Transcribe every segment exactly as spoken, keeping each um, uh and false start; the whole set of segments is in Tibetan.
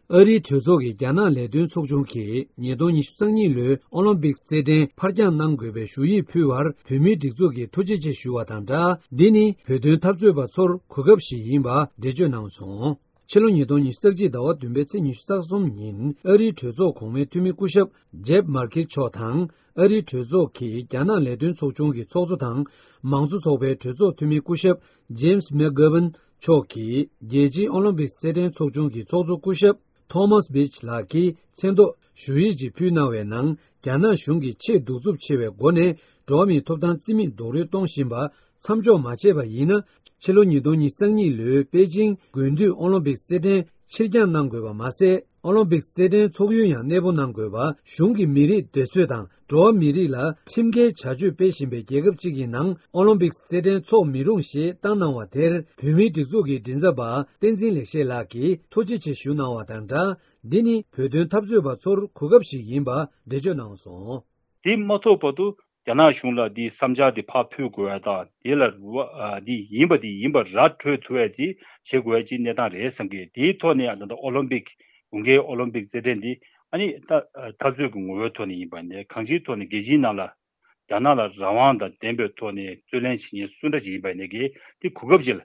ཨ་རིའི་གྲོས་ཚོགས་ཀྱི་རྒྱ་ནག་ལས་དོན་ཚོགས་ཆུང་གིས་ཉིས་སྟོང་ཉི་ཤུ་རྩ་གཉིས་ལོའི་ཨོ་ལིམ་པིག་རྩེད་འགྲན་ཕར་འགྱངས་གནང་དགོས་པའི་ཞུ་ཡིག་ཕུལ་བར་བོད་མིའི་སྒྲིག་འཛུགས་ཀྱིས་ཐུགས་རྗེ་ཆེ་ཞུ་བ་དང་སྦྲགས། འདི་ནི་བོད་དོན་འཐབ་རྩོད་པ་ཚོར་གོ་སྐབས་ཤིག་ཡིན་པ་འགྲེལ་བརྗོད་གནང་སོང་། ཕྱི་ལོ་ཉིས་སྟོང་ཉི་ཤུ་རྩ་གཅིག་ཟླ་བ་བདུན་པའི་ཚེས་ཉི་ཤུ་རྩ་གསུམ་ཉིན་ཨ་རིའི་གྲོས་ཚོགས་གོང་མའི་འཐུས་མི་སྐུ་ཞབས་ཇེབ་མར་ཁིལ་མཆོག་དང་། ཨ་རིའི་གྲོས་ཚོགས་ཀྱི་རྒྱ་ནག་ལས་དོན་ཚོགས་ཆུང་གི་ཚོགས་གཙོ་དང་། མང་གཙོ་ཚོགས་པའི་གྲོས་ཚོགས་འཐུས་མི་སྐུ་ཞབས་ཇེམ་སི་མེག་གྷོ་ཝན་མཆོག་གིས་རྒྱལ་སྤྱིའི་ཨོ་ལིམ་པིག་རྩེད་འགྲན་ཚོགས་ཆུང་གི་ཚོགས་གཙོ་སྐུ་ཞབས་ཐོ་མཱས་བྷིཆ་ལགས་ཀྱི་མཚན་ཐོག་ཞུ་ཡིག་ཅིག་ཕུལ་གནང་བའི་ནང་། རྒྱ་ནག་གཞུང་གིས་ཆེས་གདུག་རྩུབ་ཆེ་བའི་སྒོ་ནས་འགྲོ་བ་མིའི་ཐོབ་ཐང་རྩིས་མེད་རྡོག་རོལ་གཏོང་བཞིན་པ་མཚམས་འཇོག་མ་བྱས་པ་ཡིན་ན། ཕྱི་ལོ་ཉིས་སྟོང་ཉི་ཤུ་རྩ་གཉིས་ལོའི་པེ་ཅིང་དགུན་དུས་ཨོ་ལིམ་པིག་རྩེད་འགྲན་ཕྱིར་འགྱངས་གནང་དགོས་པ་མ་ཟད། ཨོ་ལིམ་པིག་རྩེད་འགྲན་ཚོགས་ཡུལ་ཡང་གནས་སྤོ་གནང་དགོས་པ། གཞུང་གིས་མི་རིགས་སྡེ་གསོད་དང་འགྲོ་བ་མི་རིགས་ལ་ཁྲིམས་འགལ་བྱ་སྤྱོད་སྤེལ་བཞིན་པའི་རྒྱལ་ཁབ་ཅིག་གི་ནང་ཨོ་ལིམ་པིག་རྩེད་འགྲན་འཚོགས་མི་རུང་ཞེས་བཏང་གནང་བ་དེར། བོད་མིའི་སྒྲིག་འཛུགས་ཀྱི་མགྲིན་ཚབ་པ་བསྟན་འཛིན་ལེགས་བཤད་ལགས་ཀྱིས་ཐུགས་རྗེ་ཆེ་ཞུ་གནང་བ་དང་སྦྲགས། འདི་ནི་བོད་དོན་འཐབ་རྩོད་པ་ཚོར་གོ་སྐབས་ཤིག་ཡིན་པ་འགྲེལ་བརྗོད་གནང་སོང་། དེ་མ་ཐོབ་བར་དུ་རྒྱ་ནག་གཞུང་ལ་འདིའི་བསམ་འཆར་འདི་ཕར་ཕུལ་དགོས་ཡ་དང་། དེ་ལ་རུ་བ་ཨ་འདི་ཡིན་པ་འདི་ཡིན་པ་ར་འཕྲོད་ཐུབ་ཡ་དེ་བྱེད་དགོས་ཡ་ཅིག་གནས་སྟངས་རེད་བསམ་གི། དེའི་ཐོག་ནས་ད་ལྟ་ཨོ་ལིམ་པིག་དགུན་ཁའི་ཨོ་ལིམ་པིག་རྩེད་འགྲན་འདི་ཨ་ནི་ད་འཐབ་རྩོད་ཀྱི་ངོ་བོའི་ཐོག་ནས་ཡིན་པ་ནས་གང་ཅིའི་ཐོག་ནས་རྒྱལ་སྤྱིའི་ནང་ལ་རྒྱ་ནག་ལ་རང་དབང་དང་ལྡན་པའི་ཐོག་ནས་རྩོད་ལེན་བྱེད་མཁན་སུ་འདྲ་ཅིག་ཡིན་པ་ནས་གི་དེ་གོ་སྐབས་ཅིག་ལ་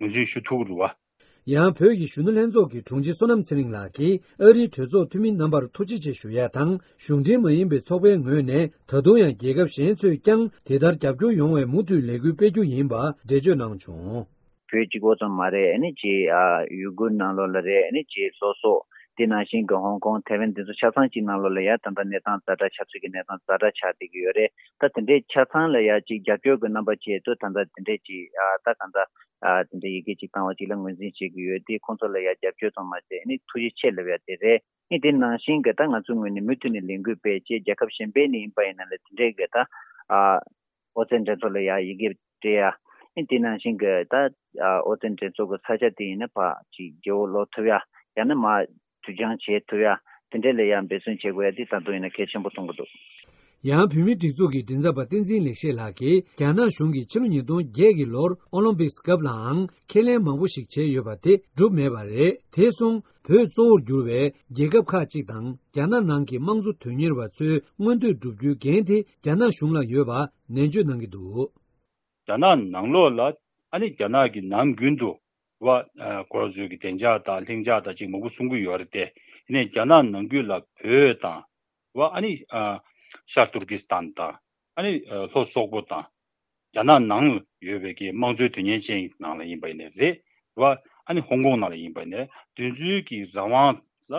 ངོས་འཛིན་ཞུ་ཐུབ་ཀྱི་རེད་བ། ཡང་བོད་ཀྱི་གཞོན་ནུ་ལྷན་ཚོགས་ཀྱི་དྲུང་ཆེ་བསོད་ནམས་ཚེ་རིང་ལགས་ཀྱིས་ཨ་རིའི་གྲོས་ཚོགས་འཐུས་མི་རྣམ་པར་ཐུགས་རྗེ་ཆེ་ཞུ་ཡ་དང་། གཞུང་འབྲེལ་མ་ཡིན་པའི་ཚོགས་པའི་ངོས་ནས་ད་དུང་ཡང་རྒྱལ་ཁབ་གཞན་ཚོས་ཀྱང་དེ་ལྟར་རྒྱབ་སྐྱོར་ཡོང་བའི་མུ་མཐུད་ལས་འགུལ་སྤེལ་རྒྱུ་ཡིན་པ་འགྲེལ་བརྗོད་གནང་བྱུང་། བོད་གཅིག་པོ་ཙམ་མ་རེད། ཨ་ནི་ཅིག་ཨ་ཡུ་གུར་ནང་ལོགས་ལ་རེད། ཨ་ནི་ཅིག་སོ་སོ་དེ་ནང་བཞིན་གྱི་ཧོང་ཀོང་ཐའེ་ཝན་དེ་ཚོ་ཆ་ཚང་གཅིག་ནང་ལོགས་ལ་ཡ་ད་ལྟ་གནས་སྟངས་ཛ་དྲག་ཆགས་ཚུལ་གྱི་གནས་སྟངས་ཛ་དྲག་ཆགས་བསྡད་ཀྱི་ཡོད་རེད། ད་དེ་འདྲའི་ཆ་ཚང་ལ་ཡ་ཅིག་རྒྱབ་སྐྱོར་གྱི་རྣམ་པ་བྱས་ཏེ་ད་ལྟ་དེ་འདྲའི་ཅིག་ཨ་ད་གང་ལྟར་ཨ་དེ་འདྲའི་ཡི་གེ་ཅིག་བཏང་བ་ཅིག་ལ་ངོས་འཛིན་བྱེད་ཀྱི་ཡོད་དེ། ཁོང་ཚོ་ལ་ཡ་རྒྱབ་སྐྱོར་ཙམ་མ་ཟད་ཨ་ནི་ཐུགས་རྗེ་ཆེ་ལབ་ཡ་དེ་རེད། ཨ་ནི་དེ་ནང་བཞིན་གྱི་ད་ང་ཚོའི་ངོས་ནས་མུ་མཐུད་ནས་ལས་འགུལ་སྤེལ་བྱས་རྒྱལ་ཁབ་གཞན་པའི་ནས་ཡིན་པ་ཡིན་ན་ལས་དེ་འདྲའི་གི་ད་ཨ། ཨོ་རྩལ་འགྲན་ཚོགས་ལ་ཡ་ཡི་གེ་སྤྲད་ཡ། ཨ་ནི་དེ་ནང་བཞིན་གྱི་ད་ཨོ་རྩལ་འགྲན་ཚོགས་ཀྱི་ས་ཆ་དེ་ཡིན་ན་ཕར་ཅིག་རྒྱལ་པོ་ལོག་ཐུབ་ཡ། ཡང་ན་མར་དུས་འགྱངས་བྱེད་ཐུབ་ཡ། དེ་འདྲས་ལ་ཡ་འབད་བརྩོན་བྱེད་དགོས་ཡ་དེ་ད་དུང་ཡིན་ན་གལ་ཆེན་པོ་མཐོང་གི་འདུག། ཡང་བོད་མིའི་སྒྲིག་འཛུགས་ཀྱི་མགྲིན་ཚབ་པ་བསྟན་འཛིན་ལེགས་བཤད་ལགས་ཀྱིས་རྒྱ་ནག་གཞུང་གིས་ཕྱི་ལོ་ཉིས་སྟོང་བརྒྱད་ཀྱི་ལོར་ཨོ་ལིམ་པིག་སྐབས་ལའང་ཁས་ལེན་མང་པོ་ཞིག་བྱས་ཡོད་པ་དེ་འགྲུབ་མེད་པ་རེད། དེ་སོང་བོད་གཙོ་བོར་གྱུར་བའི་རྒྱལ་ཁབ་ཁག་ཅིག་དང་རྒྱ་ནག་ནང་གི་དམངས་གཙོ་དོན་གཉེར་བ་ཚོའི་མངོན་འདོད་བསྒྲུབ་རྒྱུའི་འགན་དེ་རྒྱ་ནག་གཞུང་ལ་ཡོད་པ་ནན་བརྗོད་གནང་གི་འདུག། རྒྱ་ནག་ནང་ལོགས་ལ་ཨ་ནི་རྒྱ་ནག་གི་ནང་ཁུལ་དུ་བ་ཁོ་རང་ཚོའི་གི་བདེ་འཇགས་དང་ལྷིང་འཇགས་དང་ཅིག་མང་པོ་གསུང་གི་ཡོད་རེད་དེ། ཡིན་ནའི་རྒྱ་ནག་ནང་ཁུལ་ལ་བོད་དང་བ་ཨ་ནི་ཤར་ཏུར་ཀི་སི་ཐན་དང་ཨ་ནི་ལྷོ་སོག་པོ་དང་། རྒྱ་ནག་ནང་ཡོད་པའི་གི་དམངས་གཙོའི་དོན་གཉེར་ཅན་ནང་ལ་ཡིན་པ་ཡིན་ནའི་རེད་བ། ཨ་ནི་ཧོང་ཀོང་ནང་ལ་ཡིན་པ་ཡིན་ནའི་དེ་ཚོའི་གི་རང་དབང་ལ་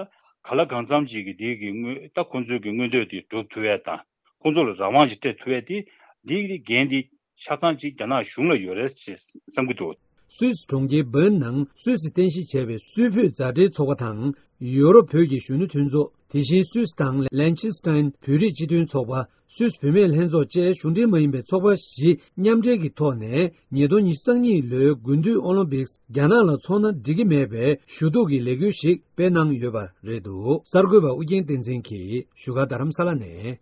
ག་ལ་གང་འཚམ་ཅིག་གི་དེ་གི་དངོས་ད་ཁོང་ཚོའི་གི་མངོན་འདོད་དེ་སྒྲུབ་ཐུབ་ཡས་དང་ཁོང་ཚོ་ལ་རང་དབང་ཅིག་སྤྲད་ཐུབ་ཡས་དེ་འདི་གི་འགན་དེ་ཆ་ཚང་ཅིག་རྒྱ་ནག་གཞུང་ལ་ཡོད་རེད་ཅེས་བསམ་གྱི་འདུག། སུད་སི་གྲོང་ཁྱེར་བྷརན་ནང་སུད་སི་རྟེན་གཞི་བྱས་པའི་སུད་བོད་མཛའ་འབྲེལ་ཚོགས་པ་དང་ཡོ་རོབ་བོད་ཀྱི་གཞོན་ནུ་མཐུན་ཚོགས། དེ་བཞིན་སུད་སི་དང་ལན་ཆི་སི་ཏན་བོད་རིགས་སྤྱི་མཐུན་ཚོགས་པ། སུད་སི་བུད་མེད་ལྷན་ཚོགས་བཅས་གཞུང་འབྲེལ་མ་ཡིན་པའི་ཚོགས་པ་བཞི་མཉམ་འབྲེལ་གྱི་ཐོག་ནས་ཉིས་སྟོང་ཉི་ཤུ་རྩ་གཉིས་ལོའི་དགུན་དུས་ཨོ་ལིམ་པིག་རྒྱ་ནག་ལ་འཚོགས་ན་འགྲིག་གི་མེད་པའི་ཞུ་གཏུག་གི་ལས་འགུལ་ཞིག་སྤེལ་གནང་ཡོད་པ་རེད་འདུག། གསར་འགོད་པ་ཨུ་རྒྱན་བསྟན་འཛིན་གྱིས་བཞུགས་སྒར་རྡ་རམ་ས་ལ་ནས།